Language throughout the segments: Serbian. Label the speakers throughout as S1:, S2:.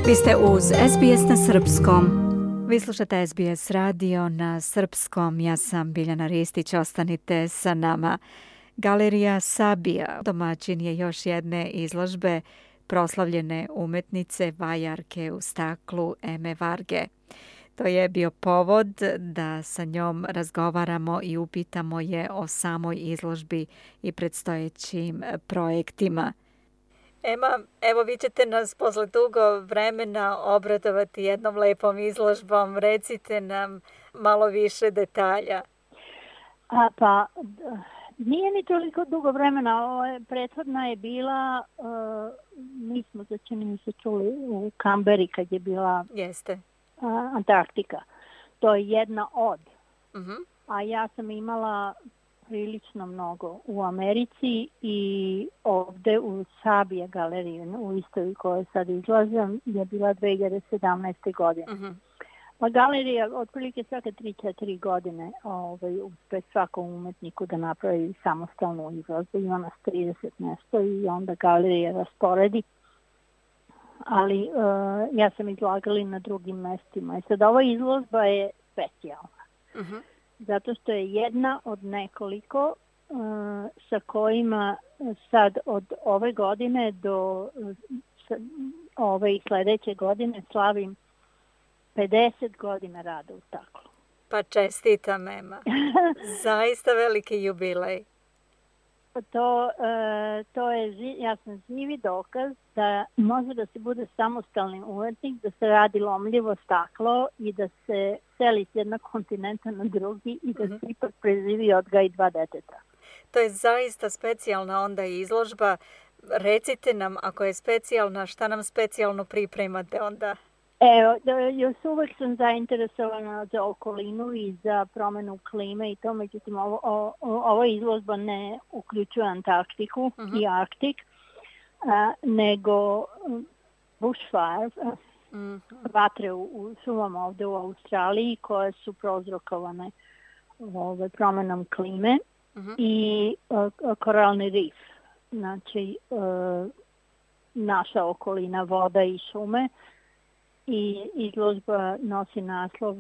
S1: Vi ste uz SBS na srpskom. Vi slušate SBS radio na srpskom. Ja sam Biljana Ristić. Ostanite sa nama. Galerija Sabija domaćin je još jedne izložbe proslavljene umetnice vajarke u staklu Eme Varge. To je bio povod da sa njom razgovaramo i upitamo je o samoj izložbi i predstojećim projektima. Ema, evo vi ćete nas posle dugo vremena obradovati jednom lepom izložbom. Recite nam malo više detalja.
S2: Nije ni toliko dugo vremena. Prethodna je bila, mi smo čini se čuli u Kamberi kad je bila Antarktika. To je jedna od. A ja sam imala prilično mnogo u Americi i ovde u Sabija galeriji, u istoj u kojoj sad izlazim, je bila 2017. godine. Pa galerija otprilike svake 3-4 godine uspe svakom umetniku da napravi samostalnu izložbu. Ima nas 30 nešto i onda galerija rasporedi. Ali ja sam izlagala i na drugim mestima. I sad ova izložba je specijalna. Zato što je jedna od nekoliko sa kojima sad od ove godine do ove i sledeće godine slavim 50 godina rada u staklu.
S1: Pa čestitam, Ema. Zaista veliki jubilej.
S2: To je jasan živi dokaz da može da se bude samostalni umetnik, da se radi lomljivo staklo i da se seli s jednog kontinenta na drugi i da se ipak preživi odgaji 2 deteta.
S1: To je zaista specijalna onda izložba. Recite nam, ako je specijalna, šta nam specijalno pripremate onda?
S2: Evo, još uvek sam zainteresovana za okolinu i za promenu klime i to, međutim, ova izložba ne uključuje Antarktiku i Arktik, nego bushfire, vatre u šumama ovde u Australiji koje su prouzrokovane promenom klime i koralni rif. Znači, naša okolina, voda i šume. I izložba nosi naslov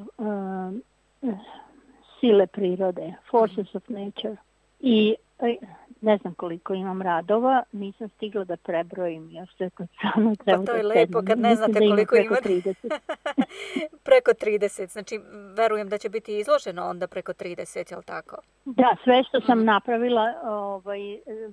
S2: Sile prirode, Forces of Nature. I ne znam koliko imam radova, nisam stigla da prebrojim još sve to samo treba da
S1: to je lepo kad ne znate koliko imate. Preko 30, znači verujem da će biti izloženo onda preko 30, je li tako?
S2: Da, sve što sam napravila,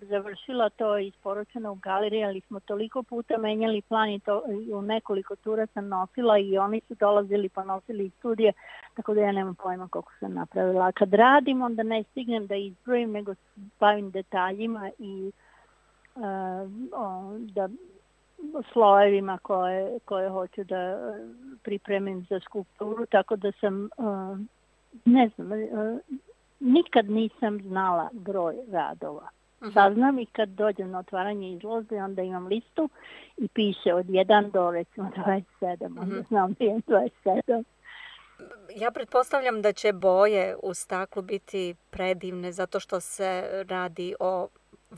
S2: završila, to je isporučeno u galeriji, ali smo toliko puta menjali plan i to u nekoliko tura sam nosila i oni su dolazili pa nosili iz studije, tako da ja nemam pojma koliko sam napravila. A kad radim, onda ne stignem da izbrojim, nego bavim detaljima i da slojevima koje hoću da pripremim za skulpturu, tako da sam, ne znam, nikad nisam znala broj radova. Saznam i kad dođem na otvaranje izložbe, onda imam listu i piše od 1 do recimo 27, onda znam da je 27.
S1: Ja pretpostavljam da će boje u staklu biti predivne zato što se radi o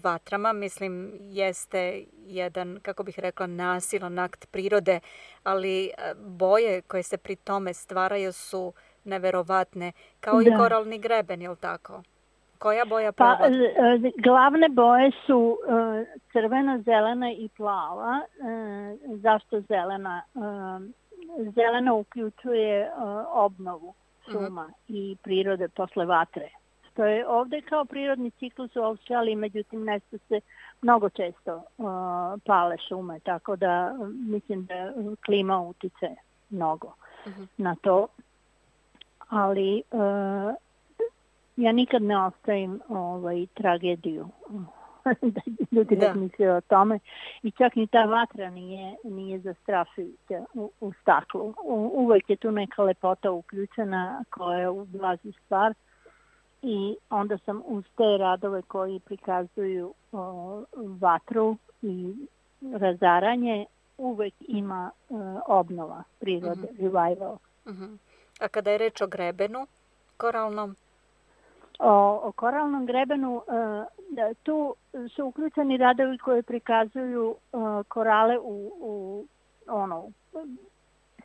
S1: vatrama. Mislim, jeste jedan, kako bih rekla, nasilan akt prirode, ali boje koje se pri tome stvaraju su neverovatne, kao i koralni greben, je li tako? Koja boja prevodi?
S2: Glavne boje su crvena, zelena i plava. Zašto zelena? Zelena uključuje obnovu šuma i prirode posle vatre. Što je ovde kao prirodni ciklus u Australiji, međutim nešto se mnogo često pale šume, tako da mislim da klima utiče mnogo na to. Ali ja nikad ne ostavim tragediju da ljudi razmišljaju o tome i čak ni ta vatra nije zastrašujuća u staklu. Uvek je tu neka lepota uključena koja ublaži stvar i onda sam uz te radove koji prikazuju vatru i razaranje uvek ima obnova prirode, revival.
S1: A kada je reč o grebenu koralnom?
S2: O koralnom grebenu, tu su uključeni radovi koji prikazuju korale u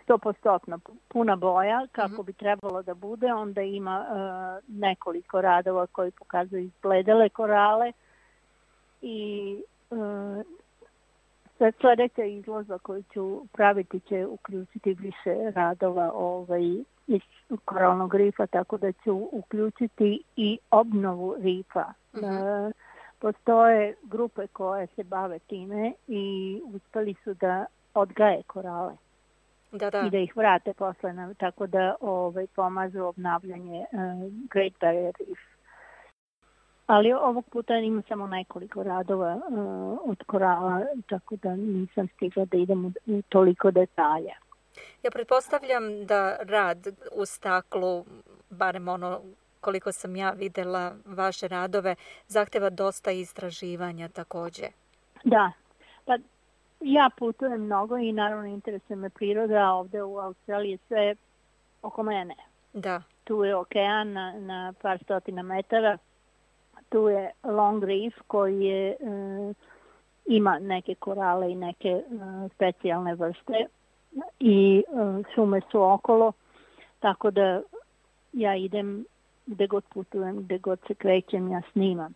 S2: 100% puna boja kako bi trebalo da bude. Onda ima nekoliko radova koji pokazuju izbledele korale i sljedeća izložba koju ću praviti će uključiti više radova iz koralnog rifa, tako da ću uključiti i obnovu rifa. Postoje grupe koje se bave time i uspeli su da odgaje korale i da ih vrate posle, tako da pomažu obnavljanje Great Barrier Reef. Ali ovog puta ima samo nekoliko radova od korala, tako da nisam stigla da idem u toliko detalja.
S1: Ja pretpostavljam da rad u staklu, barem ono koliko sam ja videla vaše radove, zahteva dosta istraživanja također.
S2: Da, pa ja putujem mnogo i naravno interesuje me priroda, ovdje u Australiji je sve oko mene.
S1: Da.
S2: Tu je okean na par stotina metara, tu je Long Reef koji je, ima neke korale i neke specijalne vrste i šume su okolo, tako da ja idem gde god putujem, gde god se krećem, ja snimam,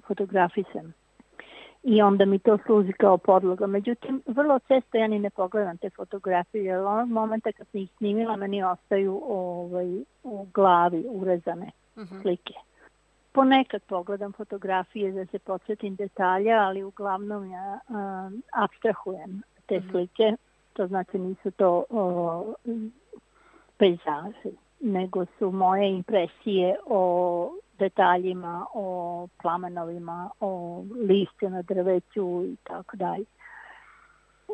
S2: fotografisam. I onda mi to služi kao podloga. Međutim, vrlo često ja ni ne pogledam te fotografije, jer onog momenta kad sam ih snimila, meni ostaju u glavi urezane slike. Ponekad pogledam fotografije da se podsjetim detalja, ali uglavnom ja apstrahujem te slike. To znači nisu to pejzaži, nego su moje impresije o detaljima, o plamenovima, o lišću na drveću i tako dalje.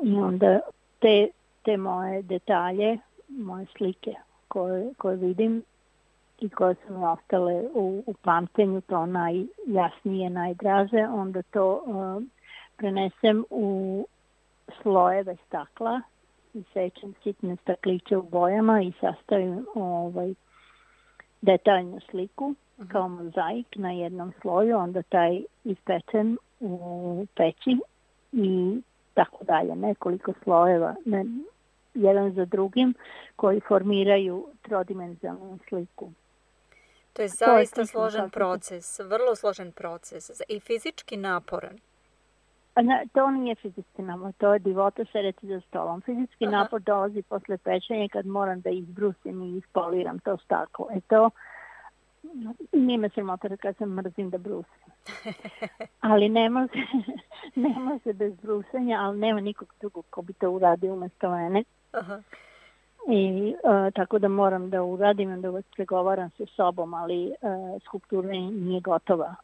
S2: I onda te moje detalje, moje slike koje vidim i koje su mi ostale u pamćenju, to najjasnije, najdraže, onda to prenesem u slojeve stakla i sečem sitne stakliće u bojama i sastavim detaljnu sliku kao mozaik na jednom sloju, onda taj ispečem u peći i tako dalje, nekoliko slojeva jedan za drugim koji formiraju trodimenzionalnu sliku.
S1: To je zaista složen proces, vrlo složen proces i fizički naporan.
S2: To nije fizički napor, to je divota sedeti za stolom. Fizički napor dolazi posle pečenja kad moram da izbrusim i ispoliram to staklo. To nije me sramota kad se mrzim da brusim. Ali ne može bez brusanja, ali nema nikog drugog ko bi to uradio umjesto mene. I tako da moram da uradim, onda uvek pregovaram sa sobom, ali skulptura nije gotova.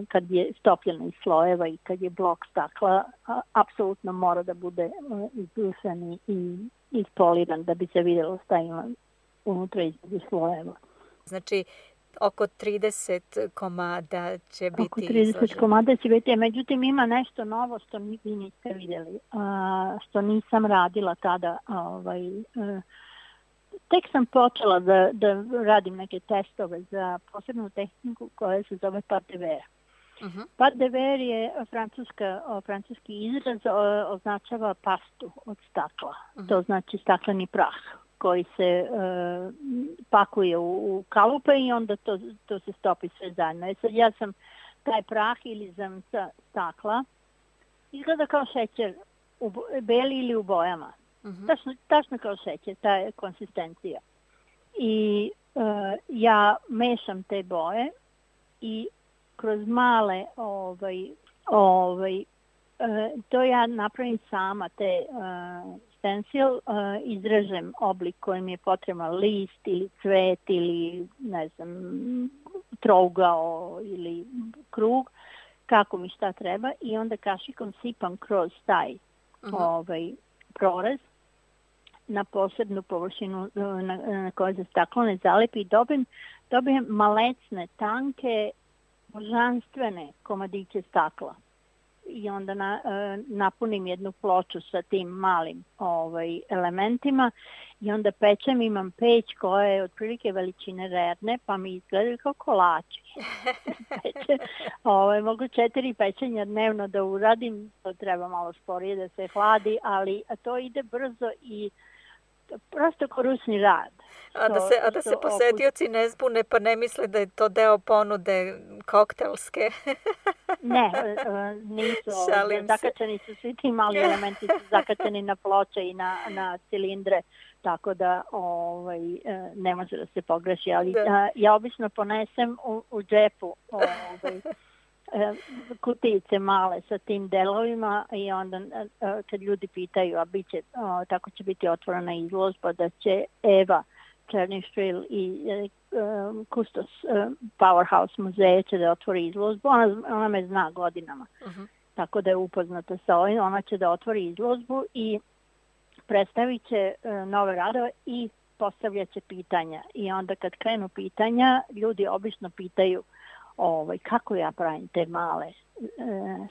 S2: Kad je stopljena iz slojeva i kad je blok stakla, apsolutno mora da bude izbrusan i ispoliran da bi se vidjelo šta ima unutra između slojeva.
S1: Znači, oko 30 komada će biti
S2: oko 30 izloženo. Komada će biti, međutim ima nešto novo što vi niste vidjeli, što nisam radila tada. Tek sam počela da radim neke testove za posebnu tehniku koja se zove Pâte de verre. Pâte de verre je francuski izraz, označava pastu od stakla. To znači stakleni prah koji se pakuje u kalupe i onda to se stopi sve zajedno. Sad ja sam taj prah ili zamca stakla, izgleda kao šećer, beli ili u bojama. Tačno kao šećer, ta je konsistencija. I ja mešam te boje i kroz male to ja napravim sama te stencil, izrežem oblik kojim je potreban list ili cvet ili ne znam trougao ili krug, kako mi šta treba, i onda kašikom sipam kroz taj prorez na posebnu površinu na kojoj se staklo ne zalepi i dobijem malecne, tanke, božanstvene komadiće stakla. I onda napunim jednu ploču sa tim malim elementima i onda pečem, imam peć koja je otprilike veličine rerne, pa mi izgledaju kao kolači. Mogu 4 pečenja dnevno da uradim, to treba malo sporije da se hladi, ali to ide brzo i prosto korusni rad.
S1: A da se posetioci ne zbune pa ne misle da je to deo ponude koktelske.
S2: Ne, nisu. Zakačeni su svi ti mali elementi, su zakačeni na ploče i na cilindre, tako da ne može da se pogreši. Ali ja obično ponesem u džepu kutijice male sa tim delovima i onda kad ljudi pitaju, a tako će biti otvorena izložba, da će Eva Černišvil i kustos Powerhouse muzeja će da otvori izložbu. Ona me zna godinama, tako da je upoznata sa ovim. Ona će da otvori izložbu i predstavit će nove radove i postavljat će pitanja. I onda kad krenu pitanja, ljudi obično pitaju kako ja pravim te male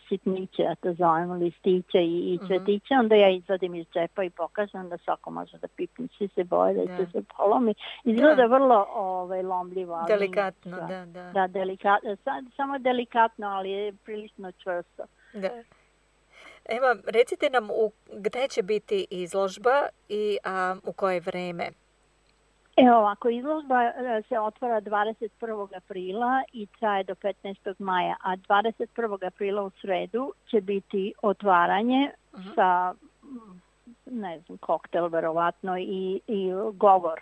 S2: sitniće, ja to zovem listiće i cvetiće, onda ja izvadim iz džepa i pokažem da svako može da pipne, svi se boje da će se polomi. Izgleda vrlo lomljivo.
S1: Delikatno,
S2: da. Delikatno, samo delikatno, ali je prilično čvrsto.
S1: Da. Evo, recite nam gde će biti izložba i u koje vreme?
S2: Evo ovako, izložba se otvara 21. aprila i traje do 15. maja, a 21. aprila u sredu će biti otvaranje sa, koktel verovatno i govor.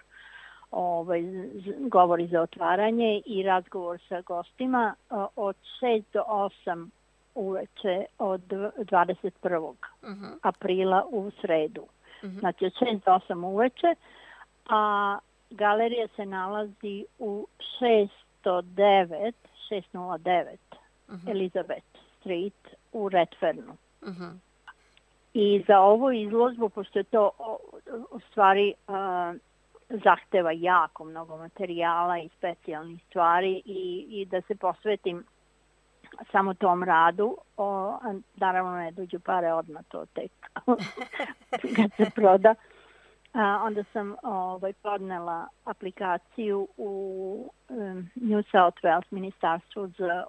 S2: Govori za otvaranje i razgovor sa gostima od 6 do 8 uveče od 21. aprila u sredu. Znači od 6 do 8 uveče, a galerija se nalazi u 609 Elizabeth Street u Redfernu. I za ovu izložbu, pošto je to u stvari zahteva jako mnogo materijala i specijalnih stvari i da se posvetim samo tom radu, naravno ne dođu pare odmah, to tek kad se proda. Onda sam podnela aplikaciju u New South Wales ministarstvu za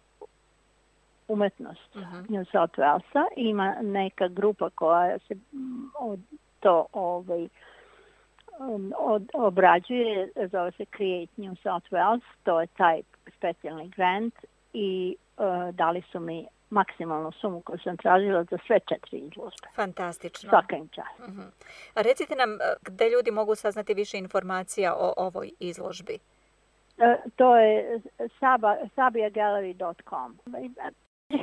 S2: umetnost New South Walesa. Ima neka grupa koja se to obrađuje, zove se Create New South Wales, to je taj specijalni grant i dali su mi maksimalnu sumu koju sam tražila za sve 4 izložbe.
S1: Fantastično.
S2: Svaka im čast.
S1: A recite nam gde ljudi mogu saznati više informacija o ovoj izložbi?
S2: To je sabiagallery.com.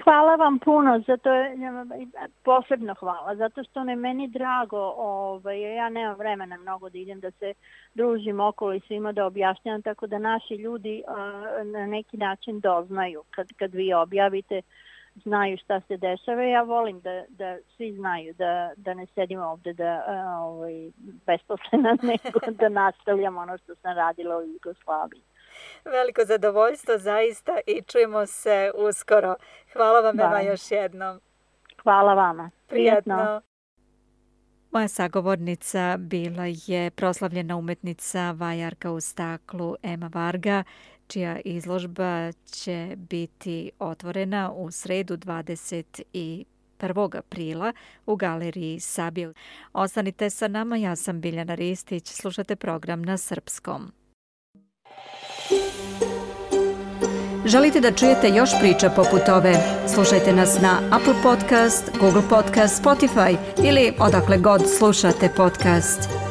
S2: Hvala vam puno, posebno hvala, zato što je meni drago, ja nemam vremena mnogo da idem da se družim okolo i svima da objašnjam, tako da naši ljudi na neki način doznaju. Kad vi objavite, znaju šta se dešava. Ja volim da svi znaju, da ne sedimo ovde besposlena, nego da nastavljam ono što sam radila u Jugoslaviji.
S1: Veliko zadovoljstvo zaista i čujemo se uskoro. Hvala vam, Eva, još jednom.
S2: Hvala vama.
S1: Prijatno. Moja sagovornica bila je proslavljena umetnica vajarka u staklu Ema Varga, čija izložba će biti otvorena u sredu 21. aprila u galeriji Sabija. Ostanite sa nama, ja sam Biljana Ristić, slušate program na srpskom. Želite da čujete još priča poput ove? Slušajte nas na Apple Podcast, Google Podcast, Spotify ili odakle god slušate podcast.